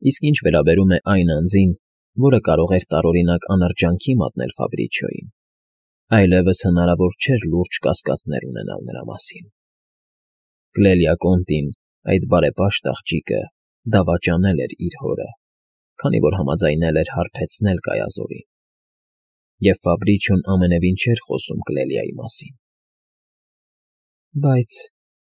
Իսկ ինչ վերաբերում է այն անձին, որը կարող էր տարօրինակ անրջանքի մատնել Ֆաբրիչիոյին, այլևս հնարավոր չէր լուրջ կասկածներ ունենալ նրա մասին։ Կլելիա Կոնտին, այդ բարեպաշտ աղջիկը, դավաճանել էր իր հորը, քանի որ համաձայնել էր հարբեցնել Կայազորին, և Ֆաբրիչիոն ամենևին չէր խոսում Կլելիայի մասին։ Բայց,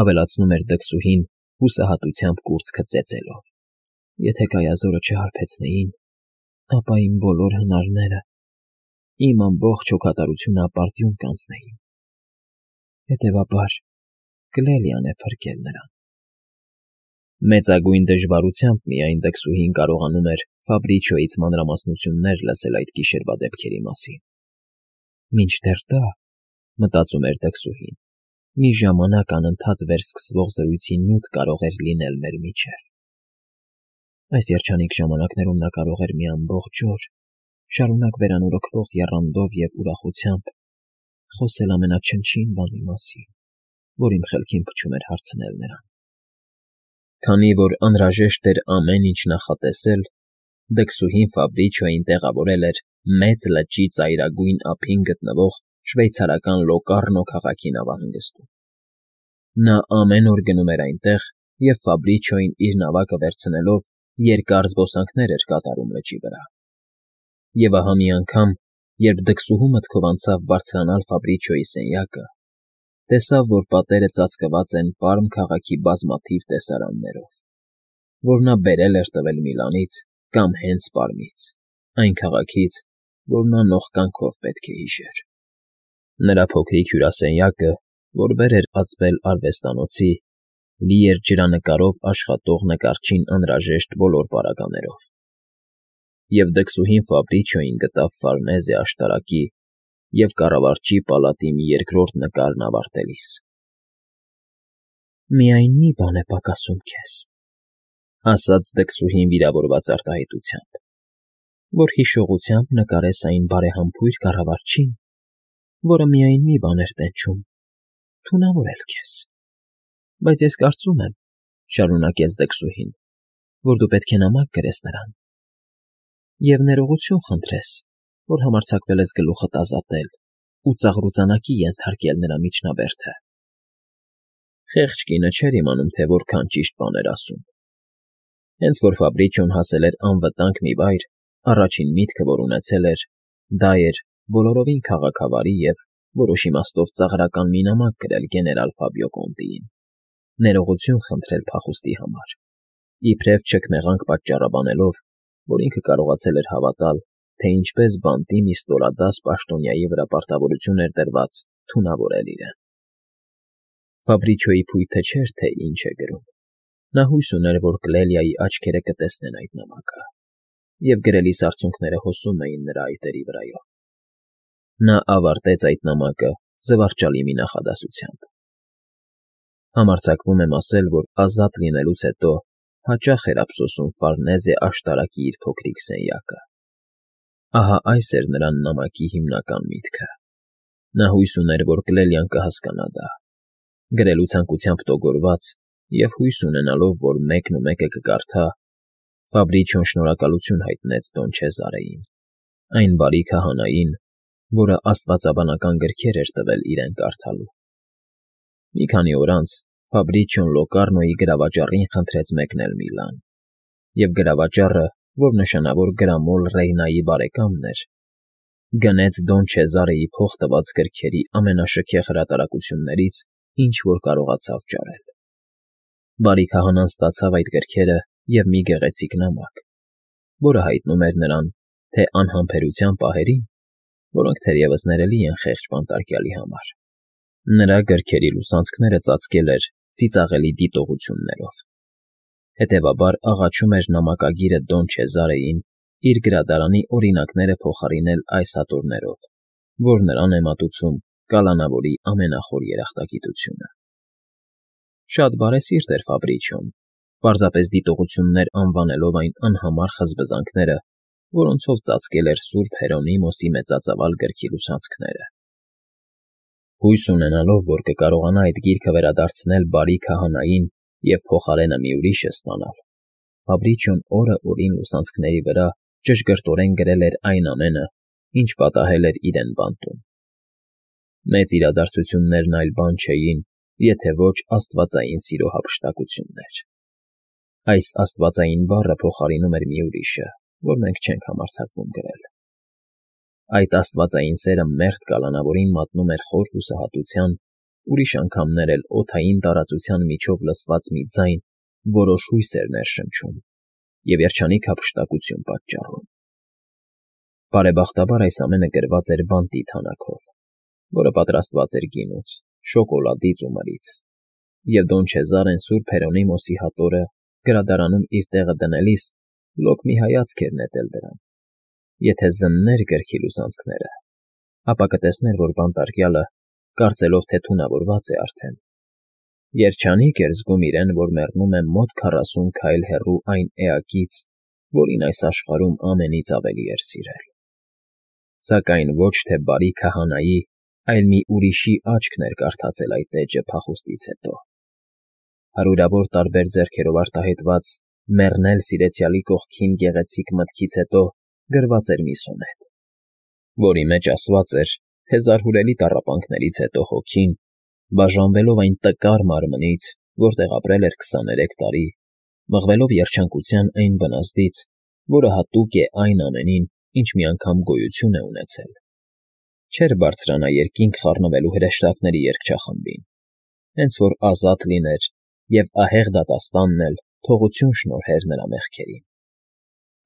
ավելացնում էր դքսուհին, հուսահատությամբ կուրծքը ծեծելով, եթե Կայազորը չհարբեցնեին, ապա իմ բոլոր հնարները, իմ ամբողջ հոգատարությունը ապարդյուն կանցնեին։ Հետևաբար, Կլելիան է փրկել նրան։ Մեծագույն դժվարությամբ միայն դքսուհին կարողանում էր Ֆաբրիչիոյից մանրամասնություններ լսել այդ գիշերվա դեպքերի մասին։ Մինչդեռ դա, մտածում էր դքսուհին, մի ժամանակ անընդհատ վերսկսվող զրույցի նյութ կարող էր լինել մեր միջև։ Այս երջանիկ ժամանակներում նա կարող էր մի ամբողջ օր, շարունակ վերանորոգվող եռանդով և ուրախությամբ, խոսել ամենաչնչին բանի մասին, որ իմ խելքին փչում էր հարցնել նրան։ Քանի որ անհրաժեշտ էր ամեն ինչ նախատեսել, դքսուհին Ֆաբրիչիոյին տեղավորել էր Մեծ լճի ծայրագույն ափին գտնվող շվեյցարական Լոկառնո քաղաքի նավահանգստում։ Նա ամեն օր գնում էր այնտեղ և Ֆաբրիչիոյին իր նավակը վերցնելով երկար զբոսանքներ էր կատարում լճի վրա։ Եվ ահա մի անգամ, երբ դքսուհու մտքով անցավ բարձրանալ Ֆաբրիչիոյի սենյակը, տեսավ, որ պատերը ծածկված են Պարմ քաղաքի բազմաթիվ տեսարաններով, որ նա բերել էր տվել Միլանից կամ հենց Պարմից, այն քաղաքից, որ նա նողկանքով պետք է հիշեր։ Նրա փոքրիկ հյուրասենյակը, որ վեր էր ածվել արվեստանոցի, լի էր ջրանկարով աշխատող նկարչին անհրաժեշտ բոլոր պարագաներով։ Եվ դքսուհին Ֆաբրիչիոյին գտավ Ֆարնեզե աշտարակի և կառավարչի պալատի մի երկրորդ նկարն ավարտելիս։ «Միայն մի բան է պակասում քեզ», ասաց դքսուհին վիրավորված արտահայտությամբ, «որ հիշողությամբ նկարես այն բարեհամբույր կառավարչին, որը միայն մի բան էր տենչում՝ թունավորել քեզ։ Բայց ես կարծում եմ, ֊ շարունակեց դքսուհին, ֊ որ դու պետք է նամակ գրես նրան և ներողություն խնդրես, որ համարձակվել ես գլուխդ ազատել ու ծաղրուծանակի ենթարկել նրա միջնաբերդը»։ Խեղճ կինը չէր իմանում, թե որքան ճիշտ բան էր ասում։ Հենց որ Ֆաբրիչիոն հասել էր անվտանգ մի վայր, առաջին միտքը, որ ունեցել էր, դա էր բոլորովին քաղաքավարի և, որոշ իմաստով, ծաղրական մի նամակ գրել գեներալ Ֆաբիո Կոնտիին, ներողություն խնդրել փախուստի համար, իբրև չքմեղանք պատճառաբանելով, որ ինքը կարողացել էր հավատալ, թե ինչպես բանտի մի ստորադաս պաշտոնյայի վրա պարտավորություն էր դրված թունավորել իրեն։ Ֆաբրիչիոյի փույթը չէր, թե ինչ է գրում։ Նա հույս ուներ, որ Կլելիայի աչքերը կտեսնեն այդ նամակը, և գրելիս արցունքները հոսում էին նրա այտերի վրայով։ Նա ավարտեց այդ նամակը զվարճալի մի նախադասությամբ. «Համարձակվում եմ ասել, որ ազատ լինելուց հետո հաճախ էր ափսոսում Ֆարնեզե աշտարակի իր փոքրիկ սենյակը»։ Ահա այս էր նրա նամակի հիմնական միտքը։ Նա հույս ուներ, որ Կլելիան կհասկանա դա։ Գրելու ցանկությամբ տոգորված և հույս ունենալով, որ մեկնումեկը կկարդա, Ֆաբրիչիոն շնորհակալություն հայտնեց Դոն Չեզարեին, այն բարի քահանային, որը աստվածաբանական գրքեր էր տվել իրեն կարդալու։ Մի քանի օր անց Ֆաբրիչիոն Լոկառնոյի գրավաճառին խնդրեց մեկնել Միլան, և գրավաճառը, որ նշանավոր գրամոլ Ռեյնայի բարեկամն էր, գնեց Դոն Չեզարեի փող տված գրքերի ամենաշքեղ հրատարակություններից, ինչ որ կարողացավ ճարել։ Բարի քահանան ստացավ այդ գրքերը և մի գեղեցիկ նամակ, որը հայտնում էր նրան, թե անհամբերության պահերին, որոնք թերևս ներելի են խեղճ բանտարկյալի համար, նրա գրքերի լուսանցքները ծածկել էր ծիծաղելի դիտողություններով։ Հետևաբար աղաչում էր նամակագիրը Դոն Չեզարեին իր գրադարանի օրինակները փոխարինել այս հատորներով, որ նրան է մատուցում կալանավորի ամենախոր երախտագիտությունը։ Շատ բարեսիրտ էր Ֆաբրիչիոն, պարզապես դիտողություններ անվանելով այն անհամար խզբզանքները, որոնցով ծածկել էր Սուրբ Հերոնիմոսի մեծածավալ գրքի լուսանցքները։ Հույս ունենալով, որ կկարողանա այդ գիրքը վերադարձնել բարի քահանային և փոխարենը մի ուրիշը ստանալ, Ֆաբրիչիոն օրը օրին լուսանցքների վրա ճշգրտորեն գրել էր այն ամենը, ինչ պատահել էր իրեն բանտում։ Մեծ իրադարձություններն այլ բան չէին, եթե ոչ աստվածային սիրո հափշտակություններ։ Այս աստվածային բառը փոխարինում էր մի ուրիշը, որ մենք չենք համարձակվում գրել։ Այդ աստվածային սերը մերթ կալանավորին մատնում էր խոր հուսահատության, ուրիշ անգամներ էլ օդային տարածության միջով լսված մի ձայն որոշ հույս էր ներշնչում և երջանիկ հափշտակություն պատճառում։ Բարեբախտաբար այս ամենը գրված էր բանտի թանաքով, որը պատրաստված էր գինուց, շոկոլադից ու մրից, և Դոն Չեզարեն Սուրբ Հերոնիմոսի հատորը գրադարանում իր տեղը դնելիս լոկ մի հայացք էր նետել դրան։ Եթե զններ գրքի լուսանցքները, ապա կտեսներ, որ բանտարկյալը, կարծելով, թե թունավորված է արդեն, երջանիկ էր զգում իրեն, որ մեռնում է մոտ 40 քայլ հեռու այն էակից, որին այս աշխարհում ամենից ավելի էր սիրել։ Սակայն ոչ թե բարի քահանայի, այլ մի ուրիշի աչքն էր կարդացել այդ էջը փախուստից հետո։ Հարյուրավոր տարբեր ձեռքերով արտահայտված «Մեռնել սիրեցյալի կողքին» գեղեցիկ մտքից հետո գրված էր մի սոնետ, որի մեջ ասված էր, թե զարհուրելի տառապանքներից հետո հոգին, բաժանվելով այն տկար մարմնից, որտեղ ապրել էր 23 տարի, մղվելով երջանկության այն բնազդից, որը հատուկ է այն ամենին, ինչ մի անգամ գոյություն է ունեցել, չէր բարձրանա երկինք խառնվելու հրեշտակների երգչախմբին, հենց որ ազատ լիներ և ահեղ դատաստանն էլ թողություն շնորհեր նրա մեղքերին,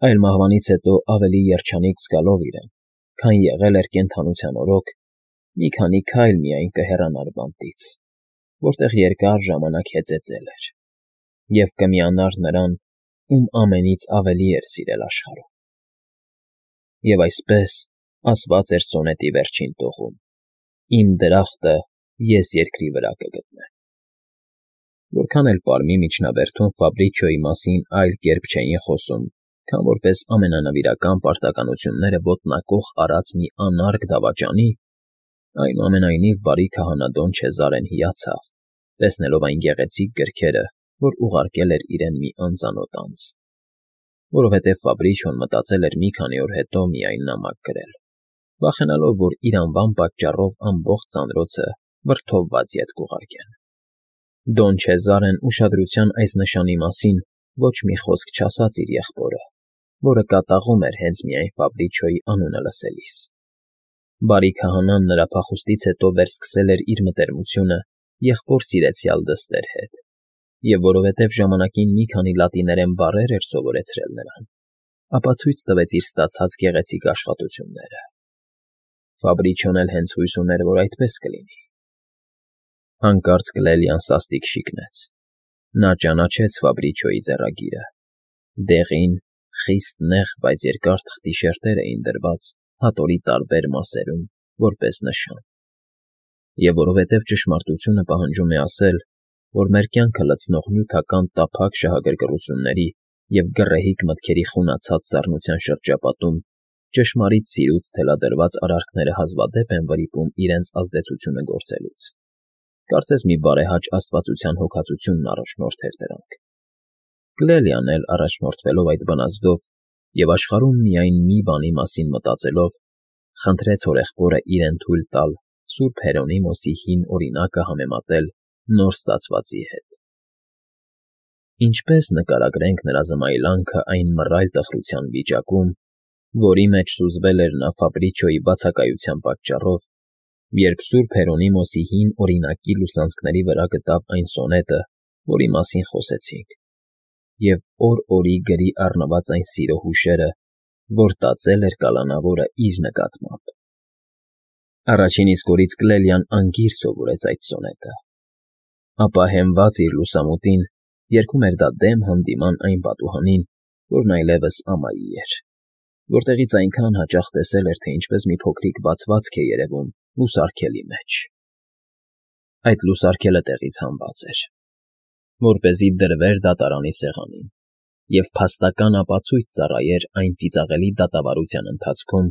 այլ մահվանից հետո ավելի երջանիկ զգալով իրեն, քան եղել էր կենդանության օրոք, մի քանի քայլ միայն կհեռանար բանտից, որտեղ երկար ժամանակ հեծեծել էր, և կմիանար նրան, ում ամենից ավելի էր սիրել աշխարհում։ Եվ այսպես ասված էր սոնետի վերջին տողում. «Իմ դրախտը ես երկրի վրա կգտնեմ»։ Որքան էլ պարմի միջնաբերդում Ֆաբրիչիոյի մասին այլ կերպ չէին խոսում, քան որպես ամենանվիրական պարտականությունները ոտնակոխ արած մի անարգ դավաճանի, այնուամենայնիվ բարի քահանա Դոն Չեզարեն հիացավ, տեսնելով այն գեղեցիկ գրքերը, որ ուղարկել էր իրեն մի անծանոթ անձ, որովհետև Ֆաբրիչիոն մտածել էր մի քանի օր հետո միայն նամակ գրել, վախենալով, որ իր անվան պատճառով ամբողջ ծանրոցը վրդովված ետ կուղարկեն։ Դոն Չեզարեն ուշադրության այս նշանի մասին ոչ մի խոսք չասաց իր եղբորը, որը կատաղում էր հենց միայն Ֆաբրիչիոյի անունը լսելիս։ Բարի քահանան նրա փախուստից հետո վերսկսել էր իր մտերմությունը եղբոր սիրեցյալ դստեր հետ, և որովհետև ժամանակին մի քանի լատիներեն բառեր էր սովորեցրել նրան, ապա ցույց տվեց իր ստացած գեղեցիկ աշխատությունները։ Ֆաբրիչիոն էլ հենց հույս ուներ, որ այդպես կլինի։ Հանկարծ Կլելիան սաստիկ շիկնեց։ Նա ճանաչեց Ֆաբրիչիոյի ձեռագիրը։ Դեղին, խիստ նեղ, բայց երկար թղթի շերտեր էին դրված հատորի տարբեր մասերում, որպես նշան։ Եվ որովհետև ճշմարտությունը պահանջում է ասել, որ մեր կյանքը լցնող նյութական տափակ շահագրգռությունների և գռեհիկ մտքերի խունացած սառնության շրջապատում ճշմարիտ սիրուց թելադրված արարքները հազվադեպ են վրիպում իրենց ազդեցությունը գործելուց։ Կարծես մի բարեհաճ աստվածության հոգածությունն առաջնորդ էր դրանք։ Կլելիան էլ առաջնորդվելով այդ բնազդով և աշխարհում միայն մի բանի մասին մտածելով, խնդրեց հորեղբորը իրեն թույլ տալ Սուրբ Հերոնիմոսի հին օրինակը համեմատել նոր ստացվածի հետ։ Ինչպես նկարագրենք նրա զմայլանքը այն մռայլ տխրության վիճակում, որի մեջ սուզվել էր նա Ֆաբրիչիոյի բացակայության պատճառով, երբ Սուրբ Հերոնիմոսի հին օրինակի լուսանցքների վրա գտավ այն սոնետը, որի մասին խոսեցինք, և օր֊օրի գրի առնված այն սիրո հուշերը, որ տածել էր կալանավորը իր նկատմամբ։ Առաջին իսկ օրից Կլելիան անգիր սովորեց այդ սոնետը, ապա հենված իր լուսամուտին երգում էր դա դեմ հանդիման այն պատուհանին, որն այլևս ամայի էր, որտեղից այնքան հաճախ տեսել էր, թե ինչպես մի փոքրիկ բացվածք է երևում լուսարգելի մեջ։ Այդ լուսարգելը տեղից հանված էր, որպեսզի դրվեր դատարանի սեղանին և փաստական ապացույց ծառայեր այն ծիծաղելի դատավարության ընթացքում,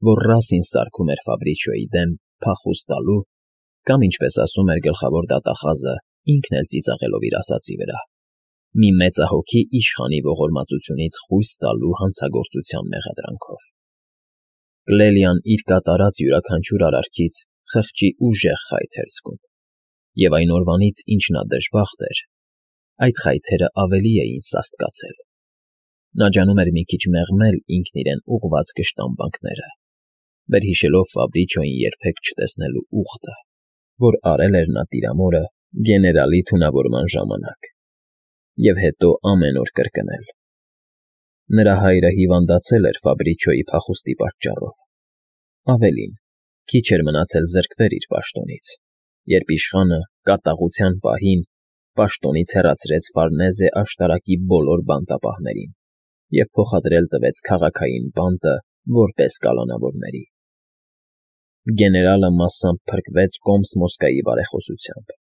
որ Ռասին սարքում էր Ֆաբրիչիոյի դեմ փախուստ տալու կամ, ինչպես ասում էր գլխավոր դատախազը, ինքն էլ ծիծաղելով իր ասածի վրա, մի մեծահոգի իշխանի ողորմածությունից խույս տալու հանցագործության մեղադրանքով։ Կլելիան իր կատարած յուրաքանչյուր արարքից խղճի ուժեղ խայթ էր զգում, և այն օրվանից, ինչ նա դժբախտ էր, այդ խայթերը ավելի էին սաստկացել։ Նա ջանում էր մի քիչ մեղմել ինքն իրեն ուղղված կշտամբանքները, վերհիշելով Ֆաբրիչոյին երբեք չտեսնելու ուխտը, որ արել էր նա տիրամորը գեներալի թունավորման ժամանակ, և հետո ամեն օր կրկնել։ Նրա հայրը հիվանդացել էր Ֆաբրիչոյի փախուստի պատճառով։ Ավելին, քիչ էր մնացել զրկվեր իր պաշտոնից, երբ իշխանը կատաղության պահին պաշտոնից հեռացրեց Ֆարնեզե աշտարակի բոլոր բանտապահներին և փոխադրել տվեց քաղաքային բանտը որպես կալանավորների։ Գեներալը մասամբ փրկվեց Կոմս֊Մոսկվայի բարեխոսությամբ,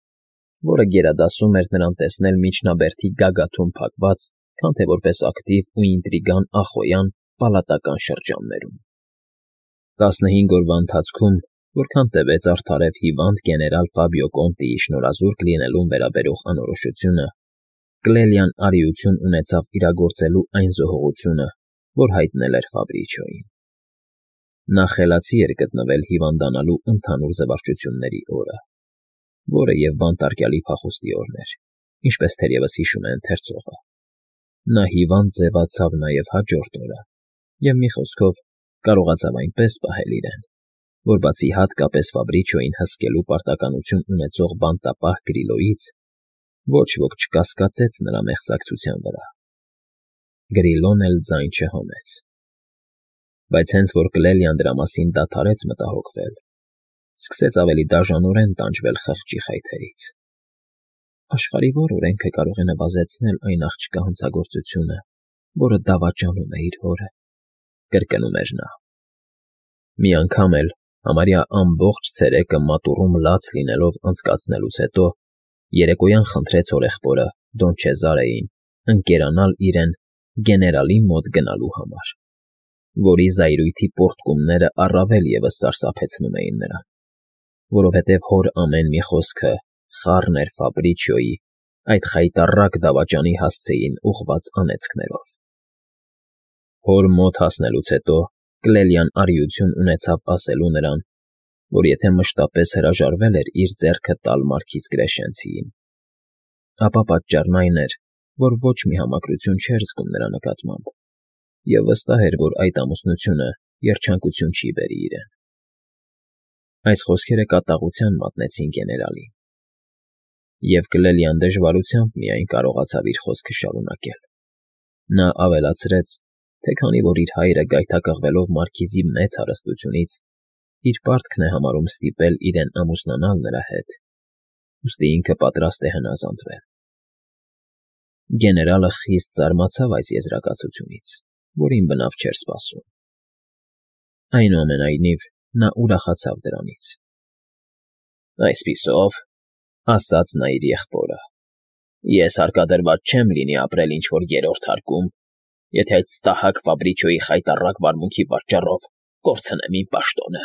որը գերադասում էր նրան տեսնել միջնաբերդի գագաթում փակված, քան թե որպես ակտիվ ու ինտրիգան Ախոյան պալատական շրջաններում։ 15 օրվա ընթացքում, որքան տևեց արդարև հիվանդ գեներալ Ֆաբիո Կոնտիի շնորհազուրկ լինելուն վերաբերող անորոշությունը, Կլելիան արիություն ունեցավ իրագործելու այն զոհողությունը, որ հայտնել էր Ֆաբրիչոյին։ Նա խելացի էր գտնվել հիվանդանալու ընդհանուր զվարճությունների օրը, որը և բանտարկյալի փախուստի օրն էր, ինչպես թերևս հիշում է ընթերցողը։ Նա հիվանդ ձևացավ նաև հաջորդ օրը և, մի խոսքով, կարողացավ այնպես պահել իրեն, որ բացի հատկապես Ֆաբրիչոյին հսկելու պարտականություն ունեցող բանտապահ Գրիլոյից, ոչ ոք չկասկածեց նրա մեղսակցության վրա։ Գրիլոն էլ ձայն չհանեց։ Բայց հենց որ Կլելիան դրա մասին դադարեց մտահոգվել, սկսեց ավելի դաժանորեն տանջվել խղճի խայթերից։ Աշխարհի որ օրենքը կարող է նվազեցնել այն աղջկա հանցագործությունը, որը դավաճանում է իր հորը, կրկնում էր նա։ Մի անգամ էլ, համարյա ամբողջ ցերեկը մատուռում լաց լինելով անցկացնելուց հետո, երեկոյան խնդրեց հորեղբորը Դոն Չեզարեին ընկերանալ իրեն գեներալի մոտ գնալու համար, որի զայրույթի պոռթկումները առավել ևս սարսափեցնում էին նրան, որովհետև հոր ամեն մի խոսքը խառն էր Ֆաբրիչոյի այդ խայտառակ դավաճանի հասցեին ուղղված անեծքներով։ Հոր մոտ հասնելուց հետո Կլելիան արիություն ունեցավ ասելու նրան, որ եթե մշտապես հրաժարվել էր իր ձեռքը տալ մարքիզ Կրեշենցիին, ապա պատճառն այն էր, որ ոչ մի համակրություն չէր զգում նրա նկատմամբ, և վստահ էր, որ այդ ամուսնությունը երջանկություն չի բերի իրեն։ Այս խոսքերը կատաղության մատնեցին գեներալին, և Կլելիան դժվարությամբ միայն կարողացավ իր խոսքը շարունակել։ Նա ավելացրեց, թե քանի որ իր հայրը գայթակղվելով մարքիզի մեծ հարստությունից, իր պարտքն է համարում ստիպել իրեն ամուսնանալ նրա հետ, ուստի ինքը պատրաստ է հնազանդվել։ Գեներալը խիստ զարմացավ այս եզրակացությունից, որին բնավ չէր սպասում։ Այնուամենայնիվ, նա ուրախացավ դրանից։ Այսպիսով, ասաց նա իր եղբորը, ես հարկադրված չեմ լինի ապրել ինչ-որ երրորդ հարկում, եթե այդ ստահակ Ֆաբրիչոյի խայտառակ վարմունքի պատճառով կորցնեմ իմ պաշտոնը։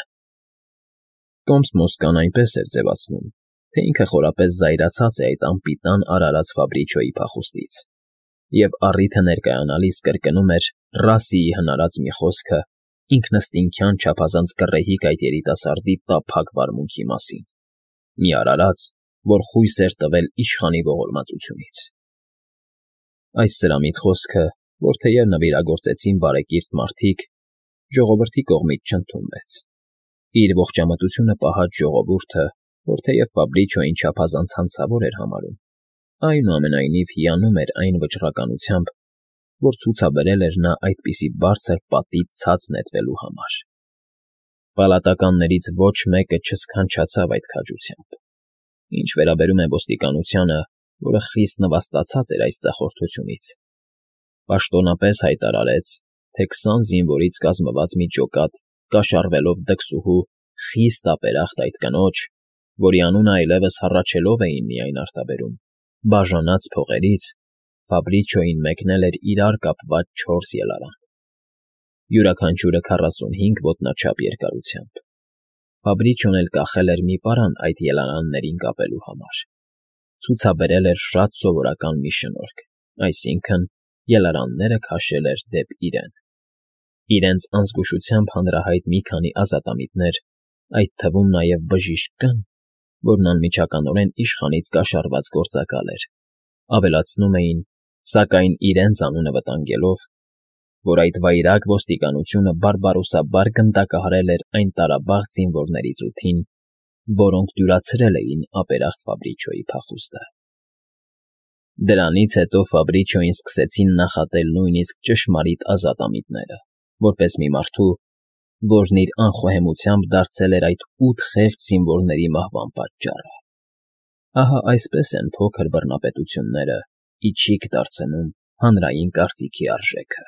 Կոմս֊Մոսկվան այնպես էր ձևացնում, թե ինքը խորապես զայրացած է այդ անպիտան արարած Ֆաբրիչոյի փախուստից, և առիթը ներկայանալիս կրկնում էր Ռասիի հնարած մի խոսքը ինքնըստինքյան չափազանց գռեհիկ այդ երիտասարդի տափակ վարմունքի մասին, մի արարած, որ խույս էր տվել իշխանի ողորմածությունից։ Այս սրամիտ խոսքը, որ թեև նվիրագործեցին բարեկիրթ մարդիկ, ժողովրդի կողմից չընդունվեց։ Իր ողջամտությունը պահած ժողովուրդը, որ թեև Ֆաբրիչոյին չափազանց հանցավոր էր համարում, այնուամենայնիվ հիանում էր այն վճռականությամբ, որ ցուցաբերել էր նա այդպիսի բարձր պատից ցած նետվելու համար։ Պալատականներից ոչ մեկը չսքանչացավ այդ քաջությամբ։ Ինչ վերաբերում է ոստիկանությանը, որը խիստ նվաստացած էր այս ծախորդությունից, պաշտոնապես հայտարարեց, թե 20 զինվորից կազմված մի ջոկատ, կաշառվելով դքսուհու, խիստ ապերախտ այդ կնոջ, որի անունը այլևս հառաչելով էին միայն արտաբերում, բաժանած փողերից, Ֆաբրիչոյին մեկնել էր իրար կապված 4 ելարան, յուրաքանչյուրը 45 ոտնաչափ երկարությամբ։ Ֆաբրիչոն էլ կախել էր մի պարան այդ ելարաններին կապելու համար, ցուցաբերել էր շատ սովորական մի շնորհք, այսինքն՝ ելարանները քաշել էր դեպի իրեն։ Իրենց անզգուշությամբ հանրահայտ մի քանի ազատամիտներ, այդ թվում նաև բժիշկ կան, որն անմիջականորեն իշխանից կաշառված գործակալ էր, ավելացնում էին, սակայն իրենց անունը վտանգելով, որ այդ վայրագ ոստիկանությունը բարբարոսաբար գնդակահարել էր այն տարաբաղ զինվորների ծութին, որոնք դյուրացրել էին ապերախտ Ֆաբրիչոյի փախուստը։ Դրանից հետո Ֆաբրիչոյին սկսեցին նախատել նույնիսկ ճշմարիտ ազատամիտները, որպես մի մարդու, որն իր անխոհեմությամբ դարձել էր այդ 8 խեղճ զինվորների մահվան պատճառը։ Ահա այսպես են փոքր բռնապետությունները ի չիք դարձնում հանրային կարծիքի արժեքը։